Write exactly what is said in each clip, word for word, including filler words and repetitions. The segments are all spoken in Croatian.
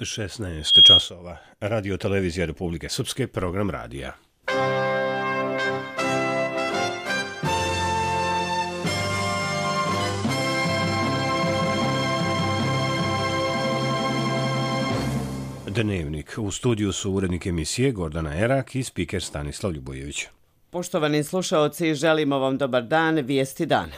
šesnaest časova. Radio televizija Republike Srpske, program radija. Dnevnik. U studiju su urednik emisije Gordana Erak i spiker Stanislav Ljubojević. Poštovani slušaoci, želimo vam dobar dan, vijesti dana.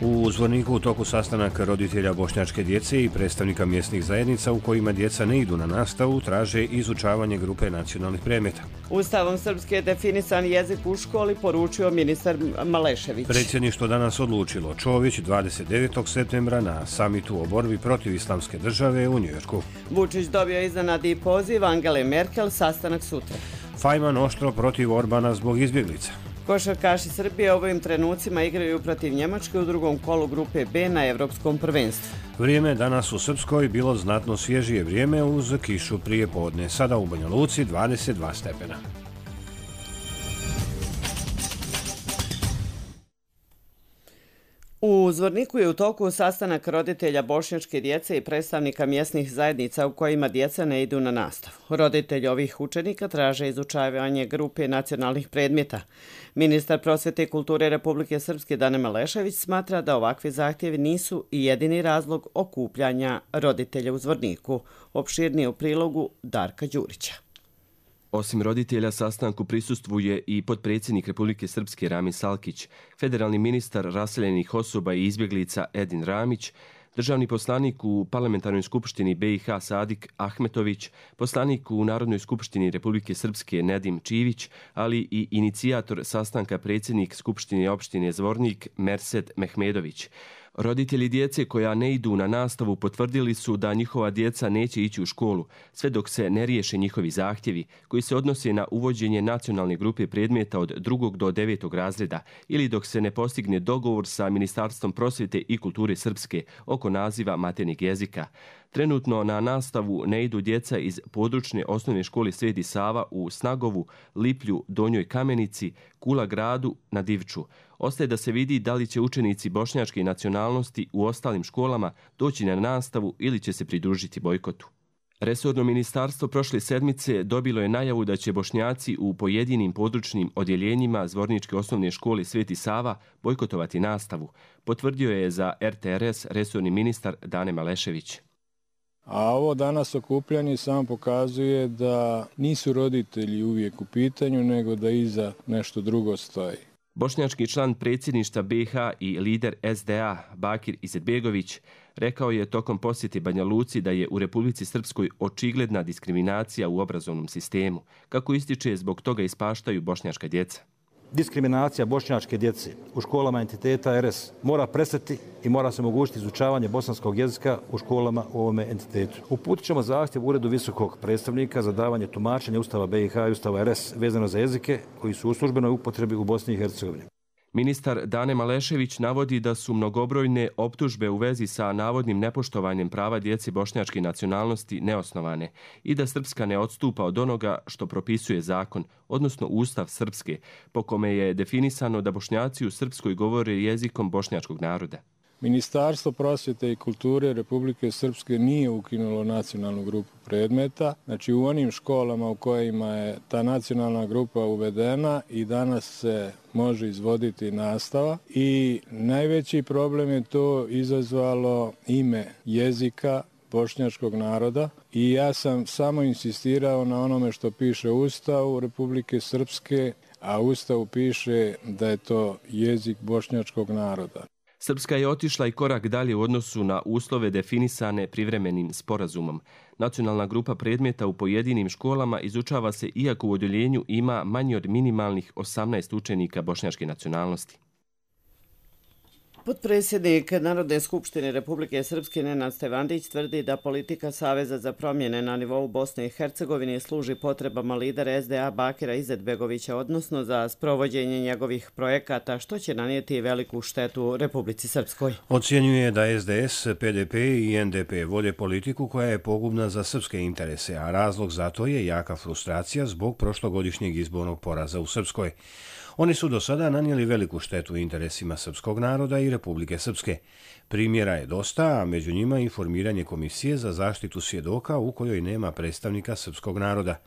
U Zvorniku u toku sastanak roditelja bošnjačke djece i predstavnika mjesnih zajednica u kojima djeca ne idu na nastavu traže izučavanje grupe nacionalnih predmeta. Ustavom Srpske je definisan jezik u školi, poručio ministar Malešević. Predsjedništvo danas odlučilo Čović dvadeset devetog septembra na samitu o borbi protiv islamske države u Njujorku. Vučić dobio iznenadni poziv Angele Merkel, sastanak sutra. Fajman oštro protiv Orbana zbog izbjeglica. Košarkaši Srbije u ovim trenucima igraju protiv Njemačke u drugom kolu grupe B na Evropskom prvenstvu. Vrijeme danas u Srpskoj bilo znatno svježije vrijeme uz kišu prije podne. Sada u Banja Luci dvadeset dva stepena. U Zvorniku je u toku sastanak roditelja bošnjačke djece i predstavnika mjesnih zajednica u kojima djeca ne idu na nastavu. Roditelji ovih učenika traže izučavanje grupe nacionalnih predmeta. Ministar prosvjete i kulture Republike Srpske Dane Malešević smatra da ovakvi zahtjevi nisu i jedini razlog okupljanja roditelja u Zvorniku. Opširnije u prilogu Darka Đurića. Osim roditelja, sastanku prisustvuje i potpredsjednik Republike Srpske Rami Salkić, federalni ministar raseljenih osoba i izbjeglica Edin Ramić, državni poslanik u Parlamentarnoj skupštini B i H Sadik Ahmetović, poslanik u Narodnoj skupštini Republike Srpske Nedim Čivić, ali i inicijator sastanka predsjednik Skupštine opštine Zvornik Mersed Mehmedović. Roditelji djece koja ne idu na nastavu potvrdili su da njihova djeca neće ići u školu, sve dok se ne riješe njihovi zahtjevi, koji se odnose na uvođenje nacionalne grupe predmeta od drugog do devetog razreda ili dok se ne postigne dogovor sa Ministarstvom prosvjete i kulture Srpske oko naziva maternjeg jezika. Trenutno na nastavu ne idu djeca iz područne osnovne škole Sveti Sava u Snagovu, Liplju, Donjoj Kamenici, Kula Gradu na Divču. Ostaje da se vidi da li će učenici bošnjačke nacionalnosti u ostalim školama doći na nastavu ili će se pridružiti bojkotu. Resorno ministarstvo prošle sedmice dobilo je najavu da će Bošnjaci u pojedinim područnim odjeljenjima Zvorničke osnovne škole Sveti Sava bojkotovati nastavu, potvrdio je za R T R S resorni ministar Dane Malešević. A ovo danas okupljanje samo pokazuje da nisu roditelji uvijek u pitanju, nego da iza nešto drugo stoji. Bošnjački član predsjedništva B i H i lider S D A Bakir Izetbegović rekao je tokom posjete Banja Luci da je u Republici Srpskoj očigledna diskriminacija u obrazovnom sistemu. Kako ističe, zbog toga ispaštaju bošnjačka djeca. Diskriminacija bošnjačke djece u školama entiteta R S mora prestati i mora se omogućiti izučavanje bosanskog jezika u školama u ovome entitetu. Uputit ćemo zahtjev Uredu visokog predstavnika za davanje tumačenja Ustava B i H i Ustava R S vezano za jezike koji su u službenoj upotrebi u Bosni i Hercegovini. Ministar Dane Malešević navodi da su mnogobrojne optužbe u vezi sa navodnim nepoštovanjem prava djece bošnjačke nacionalnosti neosnovane i da Srpska ne odstupa od onoga što propisuje zakon, odnosno Ustav Srpske, po kome je definisano da Bošnjaci u Srpskoj govore jezikom bošnjačkog naroda. Ministarstvo prosvjete i kulture Republike Srpske nije ukinulo nacionalnu grupu predmeta. Znači u onim školama u kojima je ta nacionalna grupa uvedena i danas se može izvoditi nastava i najveći problem je to izazvalo ime jezika bošnjačkog naroda i ja sam samo insistirao na onome što piše u Ustavu Republike Srpske, a u Ustavu piše da je to jezik bošnjačkog naroda. Srpska je otišla i korak dalje u odnosu na uslove definisane privremenim sporazumom. Nacionalna grupa predmeta u pojedinim školama izučava se iako u odjeljenju ima manje od minimalnih osamnaest učenika bošnjačke nacionalnosti. Potpredsjednik Narodne skupštine Republike Srpske Nenad Stevandić tvrdi da politika Saveza za promjene na nivou Bosne i Hercegovine služi potrebama lidera S D A Bakira Izetbegovića, odnosno za sprovođenje njegovih projekata, što će nanijeti veliku štetu Republici Srpskoj. Ocjenjuje da S D S, P D P i N D P vode politiku koja je pogubna za srpske interese, a razlog za to je jaka frustracija zbog prošlogodišnjeg izbornog poraza u Srpskoj. Oni su do sada nanijeli veliku štetu interesima srpskog naroda i Republike Srpske. Primjera je dosta, a među njima i formiranje komisije za zaštitu svjedoka u kojoj nema predstavnika srpskog naroda.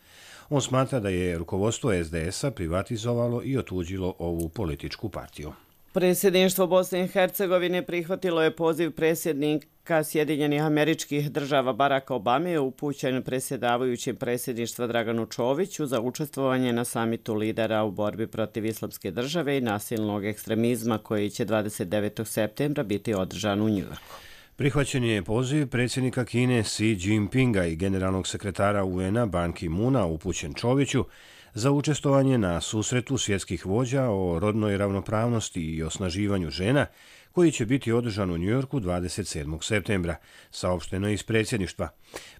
On smatra da je rukovodstvo es de es a privatizovalo i otuđilo ovu političku partiju. Predsjedništvo Bosne i Hercegovine prihvatilo je poziv predsjednika Sjedinjenih Američkih Država Baracka Obame upućen predsjedavajućem predsjedništva Draganu Čoviću za učestvovanje na samitu lidera u borbi protiv islamske države i nasilnog ekstremizma koji će dvadeset devetog septembra biti održan u Njujorku. Prihvaćen je poziv predsjednika Kine Xi Jinpinga i generalnog sekretara u en a Ban Ki-moona upućen Čoviću za učestvovanje na susretu svjetskih vođa o rodnoj ravnopravnosti i osnaživanju žena, koji će biti održan u Njujorku dvadeset sedmog septembra, saopšteno je iz predsjedništva.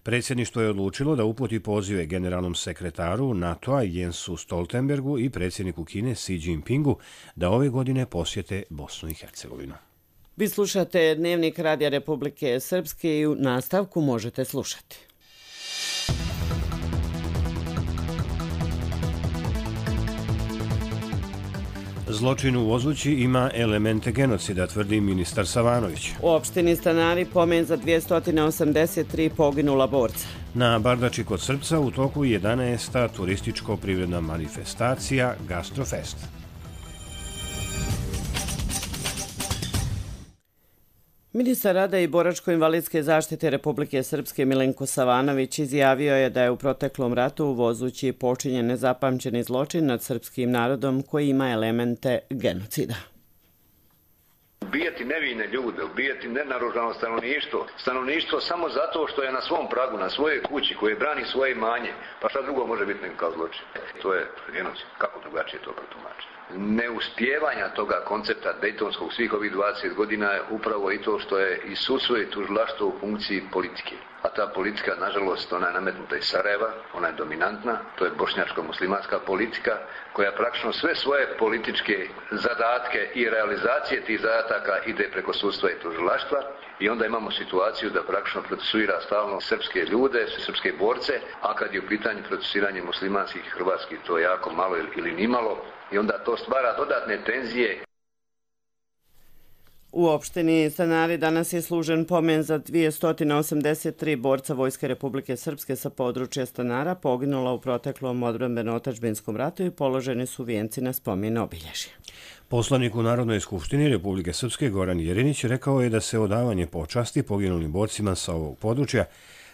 Predsjedništvo je odlučilo da uputi pozive generalnom sekretaru NATO-a Jensu Stoltenbergu i predsjedniku Kine Xi Jinpingu da ove godine posjete Bosnu i Hercegovinu. Vi slušate Dnevnik Radija Republike Srpske i u nastavku možete slušati. Zločin u Vozući ima elemente genocida, tvrdi ministar Savanović. U opštini Stanari pomen za dvjesto osamdeset tri poginula borca. Na Bardači kod Srpca u toku jedanaesta turističko-privredna manifestacija Gastrofest. Ministar rada i boračko-invalidske zaštite Republike Srpske Milenko Savanović izjavio je da je u proteklom ratu u Vozući počinjen nezapamćeni zločin nad srpskim narodom koji ima elemente genocida. Ubijati nevine ljude, ubijati nenaoružano stanovništvo, stanovništvo samo zato što je na svom pragu, na svojoj kući, koje brani svoje imanje, pa šta drugo može biti nego kao zločin? To je genocid, kako drugačije to protumačiti? Neuspjevanja toga koncepta dejtonskog svih ovih dvadeset godina je upravo i to što je i sudstvo i tužilaštvo u funkciji politike. A ta politika, nažalost, ona je nametnuta iz Sarajeva, ona je dominantna, to je bošnjačko-muslimanska politika, koja praktično sve svoje političke zadatke i realizacije tih zadataka ide preko sudstva i tužilaštva i onda imamo situaciju da praktično procesuira stalno srpske ljude, srpske borce, a kad je u pitanju procesiranje muslimanskih i hrvatskih, to je jako malo ili nimalo i onda to stvara dodatne tenzije. U opštini Stanari danas je služen pomen za dvjesto osamdeset tri borca Vojske Republike Srpske sa područja Stanara poginula u proteklom odbrambeno-otadžbinskom ratu i položeni su vijenci na spomen obilježja. Poslanik u Narodnoj skupštini Republike Srpske Goran Jerinić rekao je da se odavanje počasti poginulim borcima sa ovog područja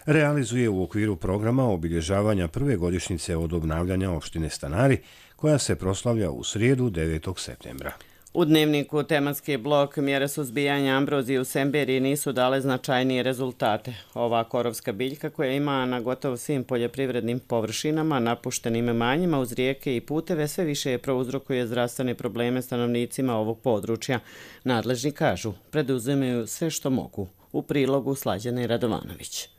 realizuje u okviru programa obilježavanja prve godišnjice od obnavljanja opštine Stanari, koja se proslavlja u srijedu devetog septembra. U dnevniku tematski blok mjere suzbijanja ambrozije u Semberiji nisu dale značajnije rezultate. Ova korovska biljka koja ima na gotovo svim poljoprivrednim površinama, napuštenim imanjima uz rijeke i puteve sve više prouzrokuje zdravstvene probleme stanovnicima ovog područja. Nadležni kažu, preduzimaju sve što mogu. U prilogu Slađane Radovanović.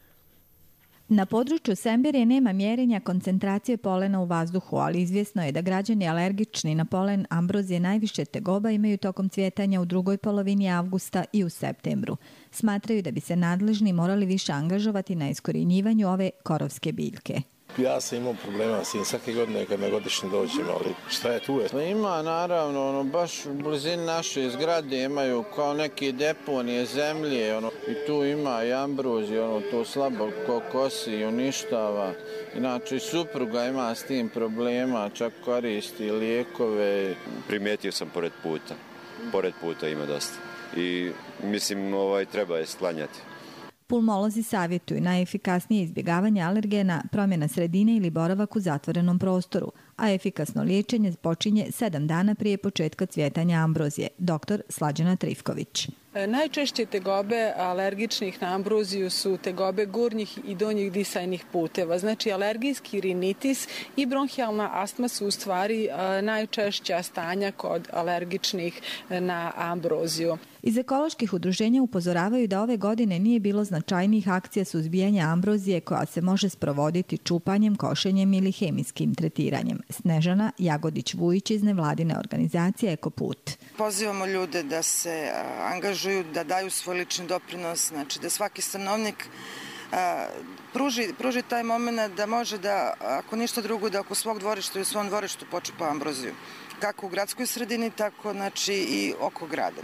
Na području Semberije nema mjerenja koncentracije polena u vazduhu, ali izvjesno je da građani alergični na polen ambrozije najviše tegoba imaju tokom cvjetanja u drugoj polovini avgusta i u septembru. Smatraju da bi se nadležni morali više angažovati na iskorjenjivanju ove korovske biljke. Ja sam imao problema s tim svake godine kad na godišnji dođem, ali šta je tu je? Ima naravno, ono, baš u blizini naše zgrade imaju kao neke deponije zemlje, ono, i tu ima i ambrozije, ono, to slabo ko kosi i uništava. Inače, supruga ima s tim problema, čak koristi lijekove. Primijetio sam pored puta, pored puta ima dosta i mislim ovaj, treba je sklanjati. Pulmolozi savjetuju najefikasnije izbjegavanje alergena, promjena sredine ili boravak u zatvorenom prostoru, a efikasno liječenje počinje sedam dana prije početka cvjetanja ambrozije. Doktor Slađana Trifković. Najčešće tegobe alergičnih na ambroziju su tegobe gornjih i donjih disajnih puteva. Znači, alergijski rinitis i bronhijalna astma su u stvari najčešća stanja kod alergičnih na ambroziju. Iz ekoloških udruženja upozoravaju da ove godine nije bilo značajnijih akcija suzbijanja ambrozije koja se može sprovoditi čupanjem, košenjem ili hemijskim tretiranjem. Snežana Jagodić-Vujić iz nevladine organizacije Ekoput. Pozivamo ljude da se angažuju, da daju svoj lični doprinos, znači da svaki stanovnik pruži, pruži taj moment da može da, ako ništa drugo, da oko svog dvorišta i u svom dvorištu počupa ambroziju. kako u gradskoj sredini, tako znači i oko grada.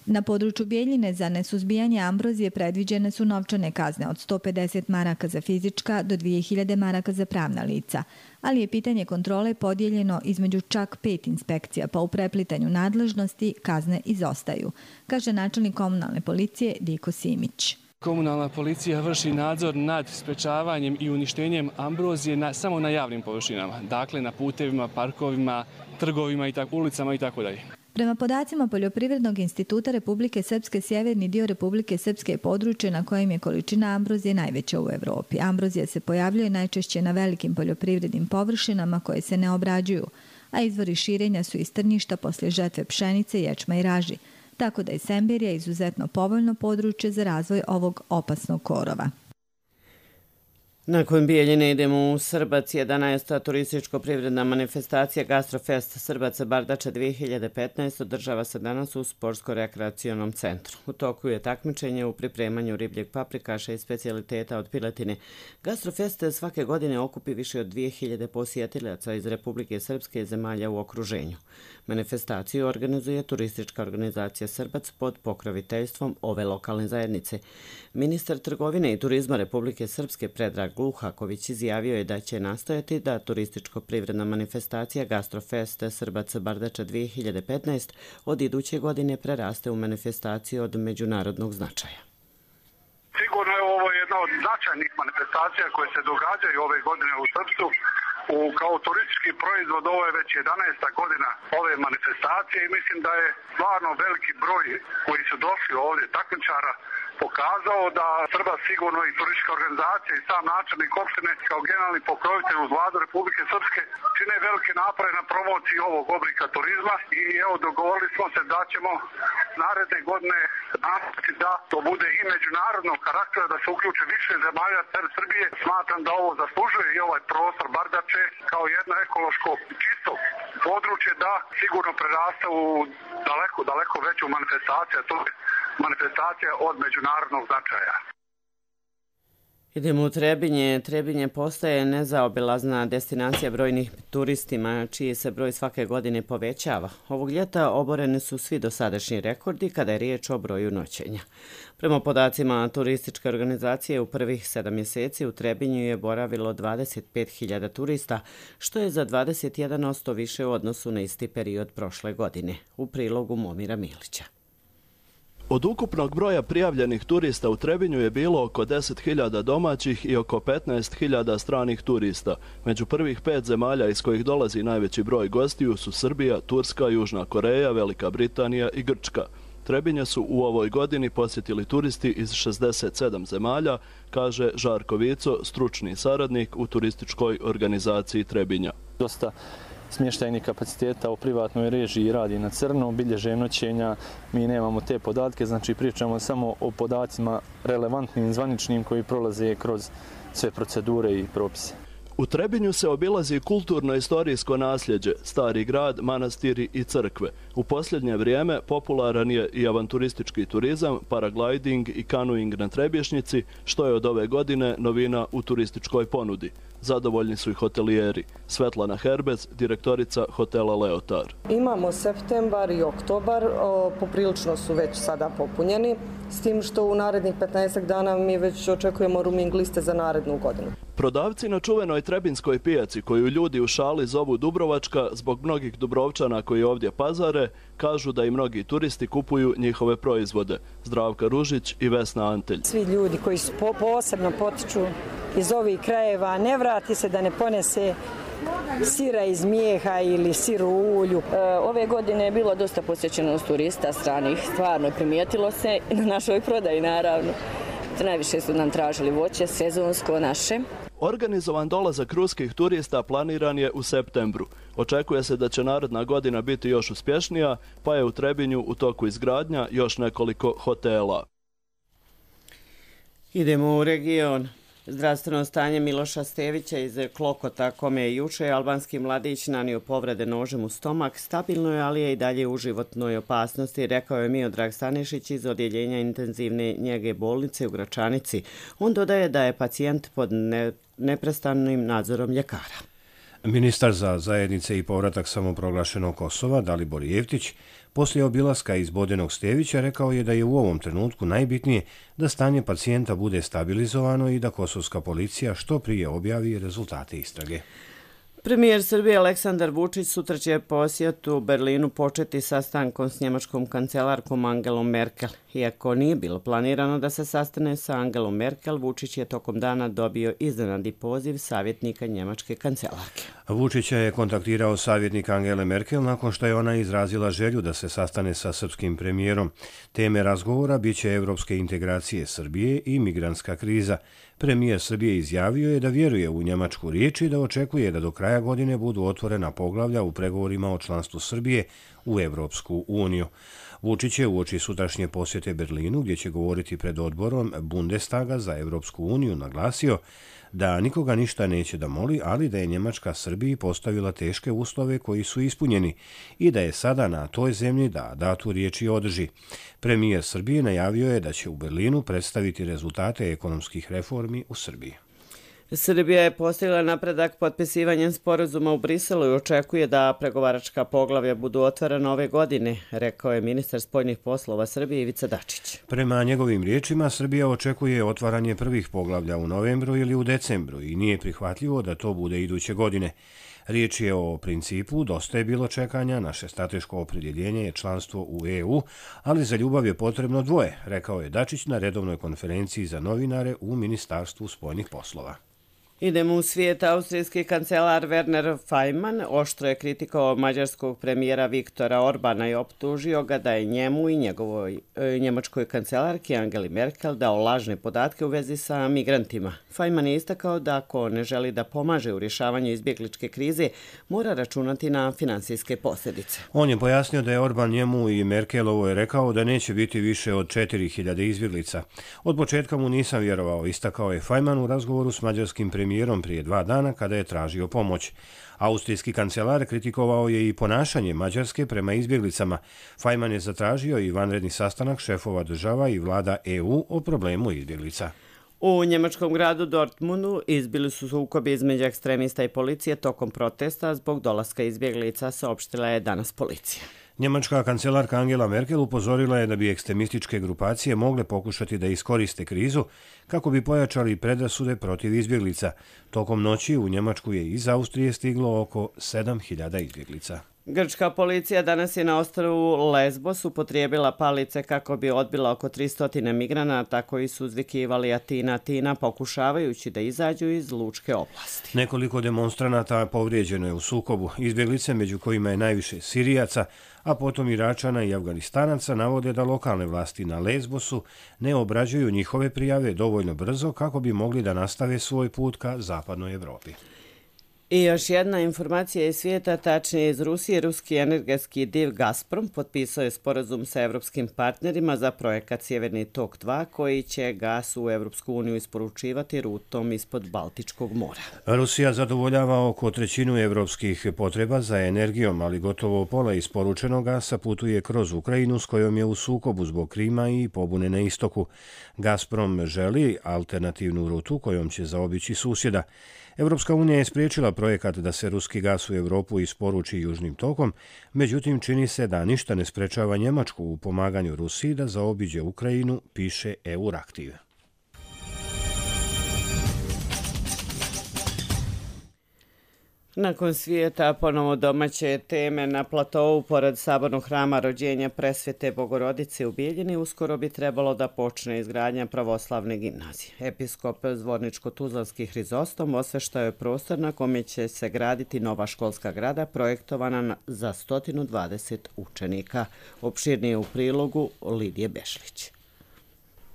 Na području Bijeljine za nesuzbijanje ambrozije predviđene su novčane kazne od sto pedeset maraka za fizička do dvije hiljade maraka za pravna lica, ali je pitanje kontrole podijeljeno između čak pet inspekcija, pa u preplitanju nadležnosti kazne izostaju, kaže načelnik komunalne policije Diko Simić. Komunalna policija vrši nadzor nad sprečavanjem i uništenjem ambrozije na, samo na javnim površinama, dakle na putevima, parkovima, trgovima, i tak, ulicama i tako dalje. Prema podacima Poljoprivrednog instituta Republike Srpske, sjeverni dio Republike Srpske je područje na kojem je količina ambrozije najveća u Evropi. Ambrozija se pojavljuje najčešće na velikim poljoprivrednim površinama koje se ne obrađuju, a izvori širenja su iz trnjišta poslije žetve pšenice, ječma i raži, tako da je Semberija izuzetno povoljno područje za razvoj ovog opasnog korova. Nakon Bijeljine idemo u Srbac. jedanaesta turističko-privredna manifestacija Gastrofest Srbac Bardača dvije hiljade petnaest održava se danas u sportsko-rekreacionom centru. U toku je takmičenje u pripremanju ribljeg paprikaša i specijaliteta od piletine. Gastrofest svake godine okupi više od dvije hiljade posjetilaca iz Republike Srpske i zemalja u okruženju. Manifestaciju organizuje turistička organizacija Srbac pod pokroviteljstvom ove lokalne zajednice. Ministar trgovine i turizma Republike Srpske Predrag Gluhaković izjavio je da će nastojati da turističko-privredna manifestacija Gastrofest Srbac Bardača dvije hiljade petnaest od iduće godine preraste u manifestaciju od međunarodnog značaja. Sigurno je ovo jedna od značajnih manifestacija koje se događaju ove godine u Srpsku. U, kao turistički proizvod ovo je već jedanaesta godina ove manifestacije i mislim da je stvarno veliki broj koji su došli ovdje takmičara pokazao da Srba sigurno i turistička organizacija i sam načelnik opštine kao generalni pokrovitelj uz vladu Republike Srpske čine velike napore na promociji ovog oblika turizma i evo dogovorili smo se da ćemo naredne godine nastaviti da to bude i međunarodnog karaktera, da se uključe više zemalja Srbije. Smatram da ovo zaslužuje i ovaj prostor Bardače kao jedno ekološko čisto područje da sigurno prerasta u daleko, daleko veću manifestaciju, to je manifestacija od međunarodnog značaja. Idemo u Trebinje. Trebinje postaje nezaobilazna destinacija brojnih turistima, čiji se broj svake godine povećava. Ovog ljeta oboreni su svi dosadašnji rekordi kada je riječ o broju noćenja. Prema podacima turističke organizacije, u prvih sedam mjeseci u Trebinju je boravilo dvadeset pet hiljada turista, što je za dvadeset jedan posto više u odnosu na isti period prošle godine. U prilogu Momira Milića. Od ukupnog broja prijavljenih turista u Trebinju je bilo oko deset hiljada domaćih i oko petnaest hiljada stranih turista. Među prvih pet zemalja iz kojih dolazi najveći broj gostiju su Srbija, Turska, Južna Koreja, Velika Britanija i Grčka. Trebinje su u ovoj godini posjetili turisti iz šezdeset sedam zemalja, kaže Žarko Vico, stručni saradnik u turističkoj organizaciji Trebinja. Dosta smještajnih kapaciteta u privatnoj režiji radi na crno, bilježe noćenja, mi nemamo te podatke, znači pričamo samo o podacima relevantnim, zvaničnim koji prolaze kroz sve procedure i propise. U Trebinju se obilazi kulturno-istorijsko nasljeđe, stari grad, manastiri i crkve. U posljednje vrijeme popularan je i avanturistički turizam, paragliding i kanuing na Trebješnjici, što je od ove godine novina u turističkoj ponudi. Zadovoljni su i hotelijeri. Svetlana Herbec, direktorica hotela Leotar. Imamo septembar i oktobar, o, poprilično su već sada popunjeni, s tim što u narednih petnaest dana mi već očekujemo rooming liste za narednu godinu. Prodavci na čuvenoj Trebinskoj pijaci, koju ljudi u šali zovu Dubrovačka zbog mnogih Dubrovčana koji ovdje pazare, kažu da i mnogi turisti kupuju njihove proizvode. Zdravka Ružić i Vesna Antelj. Svi ljudi koji su po posebno potiču iz ovih krajeva, ne vrati se da ne ponese sira iz mijeha ili sir u ulju. E, ove godine je bilo dosta posjećenost turista stranih, stvarno primijetilo se i na našoj prodaji naravno. Najviše su nam tražili voće, sezonsko naše. Organizovan dolazak ruskih turista planiran je u septembru. Očekuje se da će naredna godina biti još uspješnija, pa je u Trebinju u toku izgradnja još nekoliko hotela. Idemo u region. Zdravstveno stanje Miloša Stevića iz Klokota, kome je juče albanski mladić nanio povrede nožem u stomak, stabilno je, ali je i dalje u životnoj opasnosti, rekao je Miodrag Stanišić iz odjeljenja intenzivne njege bolnice u Gračanici. On dodaje da je pacijent pod ne, neprestanim nadzorom ljekara. Ministar za zajednice i povratak samoproglašenog Kosova, Dalibor Jeftić, poslije obilaska iz Bodenog Stevića rekao je da je u ovom trenutku najbitnije da stanje pacijenta bude stabilizovano i da kosovska policija što prije objavi rezultate istrage. Premijer Srbije Aleksandar Vučić sutra će posjetu u Berlinu početi sastankom s njemačkom kancelarkom Angelom Merkel. Iako nije bilo planirano da se sastane sa Angelom Merkel, Vučić je tokom dana dobio iznenadni poziv savjetnika njemačke kancelarke. Vučića je kontaktirao savjetnik Angele Merkel nakon što je ona izrazila želju da se sastane sa srpskim premijerom. Teme razgovora biće evropske integracije Srbije i migrantska kriza. Premijer Srbije izjavio je da vjeruje u njemačku riječ i da očekuje da do kraja godine budu otvorena poglavlja u pregovorima o članstvu Srbije u Evropsku uniju. Vučić je uoči sutrašnje posjete Berlinu, gdje će govoriti pred odborom Bundestaga za Evropsku uniju, naglasio da nikoga ništa neće da moli, ali da je Njemačka Srbiji postavila teške uslove koji su ispunjeni i da je sada na toj zemlji da datu riječi održi. Premijer Srbije najavio je da će u Berlinu predstaviti rezultate ekonomskih reformi u Srbiji. Srbija je postigla napredak potpisivanjem sporazuma u Briselu i očekuje da pregovaračka poglavlja budu otvorena ove godine, rekao je ministar spoljnih poslova Srbije Ivica Dačić. Prema njegovim riječima, Srbija očekuje otvaranje prvih poglavlja u novembru ili u decembru i nije prihvatljivo da to bude iduće godine. Riječ je o principu dosta je bilo čekanja, naše strateško opredjeljenje je članstvo u E U, ali za ljubav je potrebno dvoje, rekao je Dačić na redovnoj konferenciji za novinare u Ministarstvu spoljnih poslova. Idemo u svijet. Austrijski kancelar Werner Faymann oštro je kritikovao mađarskog premijera Viktora Orbana i optužio ga da je njemu i njegovoj e, njemačkoj kancelarki Angeli Merkel dao lažne podatke u vezi sa migrantima. Faymann je istakao da ako ne želi da pomaže u rješavanju izbjegličke krize, mora računati na finansijske posljedice. On je pojasnio da je Orban njemu i Merkelovoj rekao da neće biti više od četiri hiljade izbjeglica. Od početka mu nisam vjerovao, istakao je Faymann u razgovoru s mađarskim premijerom prije dva dana kada je tražio pomoć. Austrijski kancelar kritikovao je i ponašanje Mađarske prema izbjeglicama. Faymann je zatražio i vanredni sastanak šefova država i vlada E U o problemu izbjeglica. U njemačkom gradu Dortmundu izbili su sukobi između ekstremista i policije tokom protesta zbog dolaska izbjeglica, saopštila je danas policija. Njemačka kancelarka Angela Merkel upozorila je da bi ekstremističke grupacije mogle pokušati da iskoriste krizu kako bi pojačali predrasude protiv izbjeglica. Tokom noći u Njemačku je iz Austrije stiglo oko sedam hiljada izbjeglica. Grčka policija danas je na ostrvu Lesbos upotrijebila palice kako bi odbila oko tristo migranata koji su uzvikivali Atina, Atina, pokušavajući da izađu iz lučke oblasti. Nekoliko demonstranata povrijeđeno je u sukobu. Izbjeglice, među kojima je najviše Sirijaca, a potom Iračana i Afganistanaca, navode da lokalne vlasti na Lesbosu ne obrađuju njihove prijave dovoljno brzo kako bi mogli da nastave svoj put ka zapadnoj Evropi. I još jedna informacija iz svijeta, tačnije iz Rusije. Ruski energetski div Gazprom potpisao je sporazum sa evropskim partnerima za projekat Sjeverni tok dva koji će gas u Evropsku uniju isporučivati rutom ispod Baltičkog mora. Rusija zadovoljava oko trećinu evropskih potreba za energijom, ali gotovo pola isporučenog gasa putuje kroz Ukrajinu s kojom je u sukobu zbog Krima i pobune na istoku. Gazprom želi alternativnu rutu kojom će zaobići susjeda. Evropska unija je spriječila projekat da se ruski gas u Evropu isporuči južnim tokom, međutim čini se da ništa ne sprečava Njemačku u pomaganju Rusiji da zaobiđe Ukrajinu, piše Euraktiv. Nakon svijeta ponovo domaće teme na platovu pored sabornog hrama rođenja Presvete Bogorodice u Bijeljini uskoro bi trebalo da počne izgradnja pravoslavne gimnazije. Episkop Zvorničko-Tuzlanski Hrizostom osveštao je prostor na kome će se graditi nova školska grada projektovana za sto dvadeset učenika. Opširnije u prilogu Lidije Bešlić.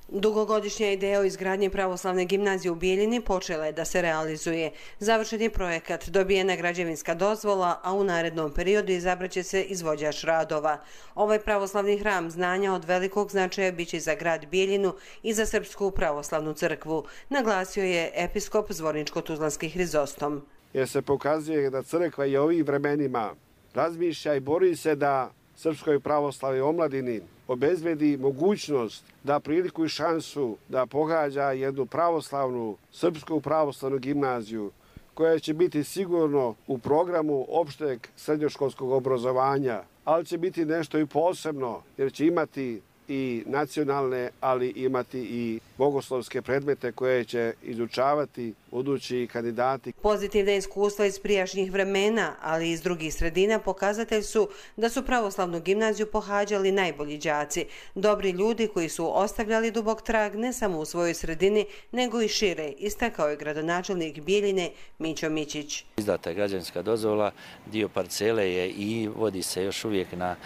Dugogodišnja ideja o izgradnji pravoslavne gimnazije u Bijeljini počela je da se realizuje. Završen je projekat, dobijena građevinska dozvola, a u narednom periodu izabraće se izvođač radova. Ovaj pravoslavni hram znanja od velikog značaja biće za grad Bijeljinu i za Srpsku pravoslavnu crkvu, naglasio je episkop Zvorničko-Tuzlanski Hrizostom. Jer se pokazuje da crkva i ovih vremenima razmišlja i bori se da Srpskoj pravoslavnoj omladini obezbedi mogućnost da priliku i šansu da pohađa jednu pravoslavnu, srpsku pravoslavnu gimnaziju koja će biti sigurno u programu opšteg srednjoškolskog obrazovanja, ali će biti nešto i posebno jer će imati i nacionalne, ali imati i bogoslovske predmete koje će izučavati budući kandidati. Pozitivna iskustva iz prijašnjih vremena, ali i iz drugih sredina pokazatelj su da su pravoslavnu gimnaziju pohađali najbolji đaci, dobri ljudi koji su ostavljali dubok trag ne samo u svojoj sredini, nego i šire, istakao je gradonačelnik Bijeljine Mićo Mićić. Izdata je građevinska dozvola, dio parcele je i vodi se još uvijek na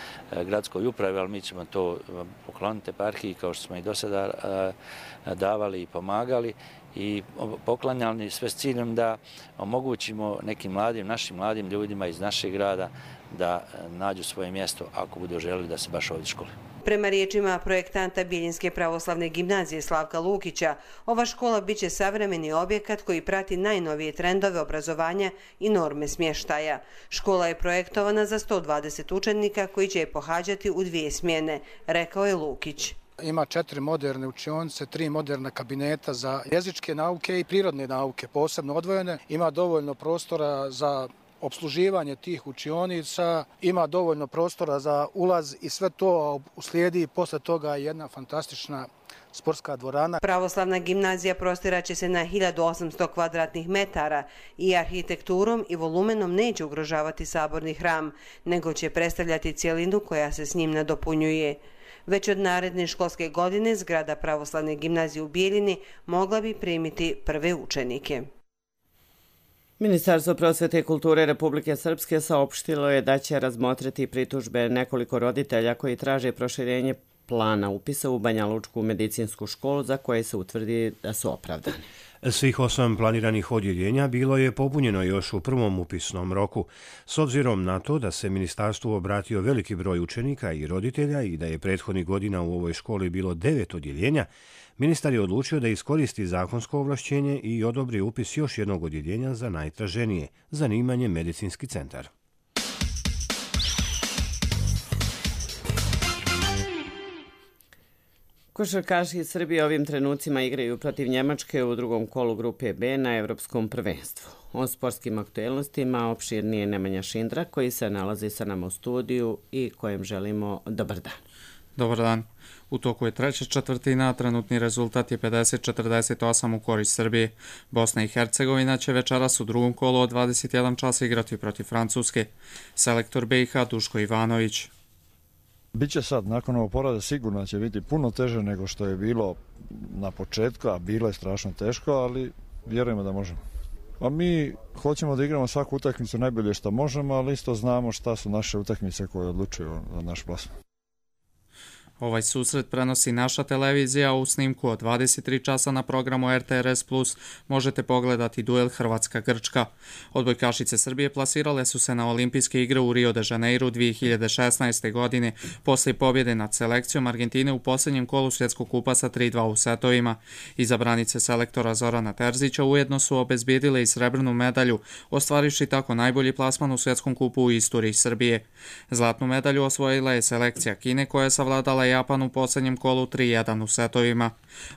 gradskoj upravi, ali mi ćemo to pokloniti eparhiji kao što smo i do sada davali i pomagali i poklanjali sve s ciljem da omogućimo nekim mladim, našim mladim ljudima iz našeg grada da nađu svoje mjesto ako budu želeli da se baš ovdje škole. Prema riječima projektanta Bijeljinske pravoslavne gimnazije Slavka Lukića, ova škola biće savremeni objekat koji prati najnovije trendove obrazovanja i norme smještaja. Škola je projektovana za sto dvadeset učenika koji će je pohađati u dvije smjene, rekao je Lukić. Ima četiri moderne učionice, tri moderna kabineta za jezičke nauke i prirodne nauke, posebno odvojene. Ima dovoljno prostora za obsluživanje tih učionica, ima dovoljno prostora za ulaz i sve to uslijedi posle toga jedna fantastična sportska dvorana. Pravoslavna gimnazija prostiraće se na hiljadu osamsto kvadratnih metara i arhitekturom i volumenom neće ugrožavati saborni hram, nego će predstavljati cjelinu koja se s njim nadopunjuje. Već od naredne školske godine zgrada Pravoslavne gimnazije u Bijeljini mogla bi primiti prve učenike. Ministarstvo prosvete i kulture Republike Srpske saopštilo je da će razmotriti pritužbe nekoliko roditelja koji traže proširenje plana upisa u Banja Lučku medicinsku školu za koje se utvrdi da su opravdani. Svih osam planiranih odjeljenja bilo je popunjeno još u prvom upisnom roku. S obzirom na to da se ministarstvu obratio veliki broj učenika i roditelja i da je prethodnih godina u ovoj školi bilo devet odjeljenja, ministar je odlučio da iskoristi zakonsko ovlašćenje i odobri upis još jednog odjeljenja za najtraženije, zanimanje medicinski centar. Košarkaši iz Srbije ovim trenucima igraju protiv Njemačke u drugom kolu grupe B na Evropskom prvenstvu. O sportskim aktuelnostima opširnije Nemanja Šindra koji se nalazi sa nama u studiju i kojem želimo dobar dan. Dobar dan. U toku je treća četvrtina, trenutni rezultat je pedeset četrdeset osam u korist Srbije. Bosna i Hercegovina će večeras u drugom kolu od dvadeset jedan časa igrati protiv Francuske. Selektor B i H Duško Ivanović. Biće sad, nakon ovog porada sigurno će biti puno teže nego što je bilo na početku, a bilo je strašno teško, ali vjerujemo da možemo. A mi hoćemo da igramo svaku utakmicu najbolje što možemo, ali isto znamo šta su naše utakmice koje odlučuju za naš plasman. Ovaj susret prenosi naša televizija, u snimku od dvadeset tri časa na programu R T R S plus možete pogledati duel Hrvatska-Grčka. Odbojkašice Srbije plasirale su se na olimpijske igre u Rio de Janeiro dvije hiljade šesnaeste. godine poslije pobjede nad selekcijom Argentine u posljednjem kolu svjetskog kupa sa tri dva u setovima. Izabranice selektora Zorana Terzića ujedno su obezbijedile i srebrnu medalju, ostvarivši tako najbolji plasman u svjetskom kupu u istoriji Srbije. Zlatnu medalju osvojila je selekcija Kine koja je savladala Japan u posljednjem kolu tri jedan u setovima.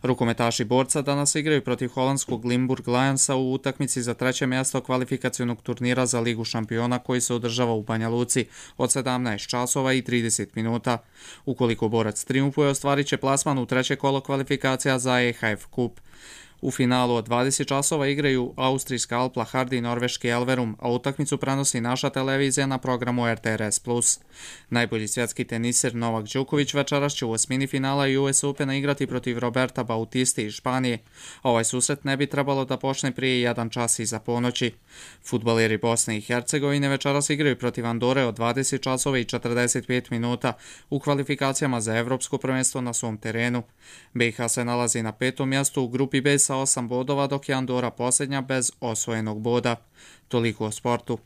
Rukometaši borca danas igraju protiv holandskog Limburg Lionsa u utakmici za treće mjesto kvalifikacionog turnira za Ligu šampiona koji se održava u Banja Luci od sedamnaest časova i trideset minuta. Ukoliko borac triumfuje, ostvarit će plasman u treće kolo kvalifikacija za E H F kup. U finalu od dvadeset časova igraju austrijska Alpla Hardy i norveški Elverum, a utakmicu prenosi naša televizija na programu R T R S plus. Najbolji svjetski teniser Novak Đoković večeras će u osmini finala U S Opena igrati protiv Roberta Bautisti iz Španije. Ovaj susret ne bi trebalo da počne prije jedan čas iza ponoći. Fudbaleri Bosne i Hercegovine večeras igraju protiv Andore od dvadeset časova i četrdeset pet minuta u kvalifikacijama za evropsko prvenstvo na svom terenu. B i H se nalazi na petom mjestu u grupi B sa osam bodova, dok je Andora posljednja bez osvojenog boda. Toliko o sportu.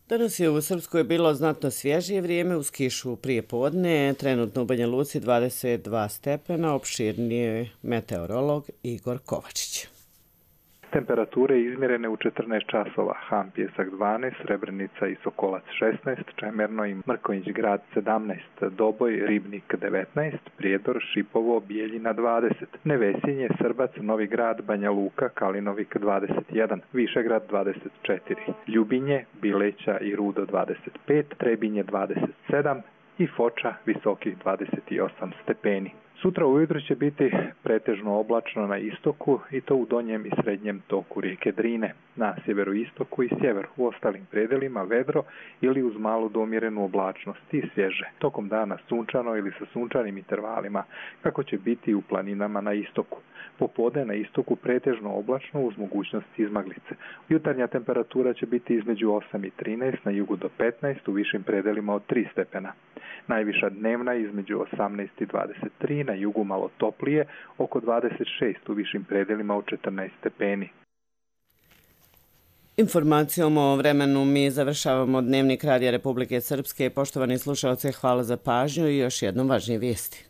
Danas je u Srpskoj bilo znatno svježije vrijeme uz kišu prije podne, trenutno u Banja Luci dvadeset dva stepena, opširnije meteorolog Igor Kovačić. Temperature izmjerene u četrnaest časova, Ham Pjesak dvanaest, Srebrenica i Sokolac šesnaest, Čemerno i Mrkonjić Grad sedamnaest, Doboj, Ribnik devetnaest, Prijedor, Šipovo, Bijeljina dvadeset, Nevesinje, Srbac, Novi Grad, Banja Luka, Kalinovik dvadeset jedan, Višegrad dvadeset četiri, Ljubinje, Bileća i Rudo dvadeset pet, Trebinje dvadeset sedam i Foča visokih dvadeset osam stepeni. Sutra ujutro će biti pretežno oblačno na istoku i to u donjem i srednjem toku rijeke Drine. Na sjeveroistoku i sjeveru, u ostalim predelima vedro ili uz malu do umjerenu oblačnost i svježe. Tokom dana sunčano ili sa sunčanim intervalima, kako će biti u planinama na istoku. Popodne na istoku pretežno oblačno uz mogućnost izmaglice. Jutarnja temperatura će biti između osam i trinaest, na jugu do petnaest, u višim predelima od tri stepena. Najviša dnevna između osamnaest i dvadeset tri, na jugu malo toplije, oko dvadeset šest, u višim predelima od četrnaest stepeni. Informacijom o vremenu mi završavamo Dnevnik Radija Republike Srpske. Poštovani slušalci, hvala za pažnju i još jednom važnije vijesti.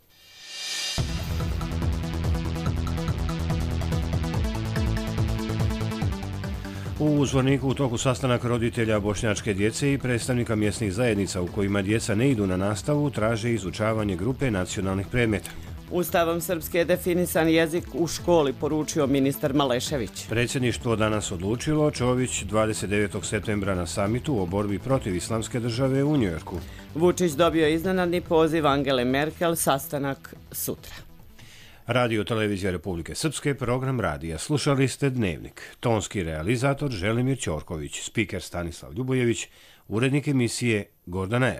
U Zvorniku u toku sastanak roditelja bošnjačke djece i predstavnika mjesnih zajednica u kojima djeca ne idu na nastavu traže izučavanje grupe nacionalnih predmeta. Ustavom Srpske je definisan jezik u školi, poručio ministar Malešević. Predsjedništvo danas odlučilo, Čović dvadeset devetog septembra na samitu o borbi protiv islamske države u Njujorku. Vučić dobio iznenadni poziv Angele Merkel, sastanak sutra. Radio Televizija Republike Srpske, program radija. Slušali ste Dnevnik. Tonski realizator Želimir Ćorković, spiker Stanislav Ljubojević, urednik emisije Gordana Era.